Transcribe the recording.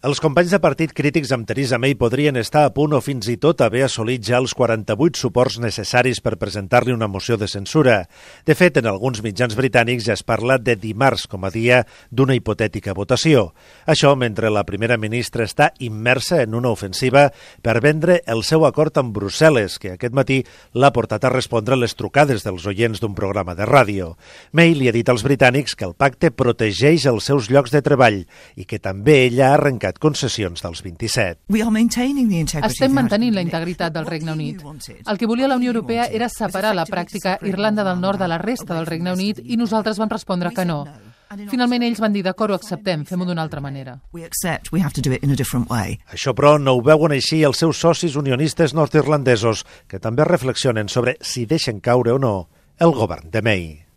Els companys de partit crítics amb Theresa May podrien estar a punt o fins i tot haver assolit ja els 48 suports necessaris per presentar-li una moció de censura. De fet, en alguns mitjans britànics ja es parla de dimarts com a dia d'una hipotètica votació. Això mentre la primera ministra està immersa en una ofensiva per vendre el seu acord amb Brussel·les, que aquest matí l'ha portat a respondre les trucades dels oients d'un programa de ràdio. May li ha dit als britànics que el pacte protegeix els seus llocs de treball i que també ella ha arrencat concessions dels 27. Estem mantenint la integritat del Regne Unit. El que volia la Unió Europea era separar la pràctica Irlanda del Nord de la resta del Regne Unit i nosaltres vam respondre que no. Finalment ells van dir, d'acord, ho acceptem, fem-ho d'una altra manera. Això, però, no ho veuen així els seus socis unionistes nord-irlandesos, que també reflexionen sobre si deixen caure o no el govern de May.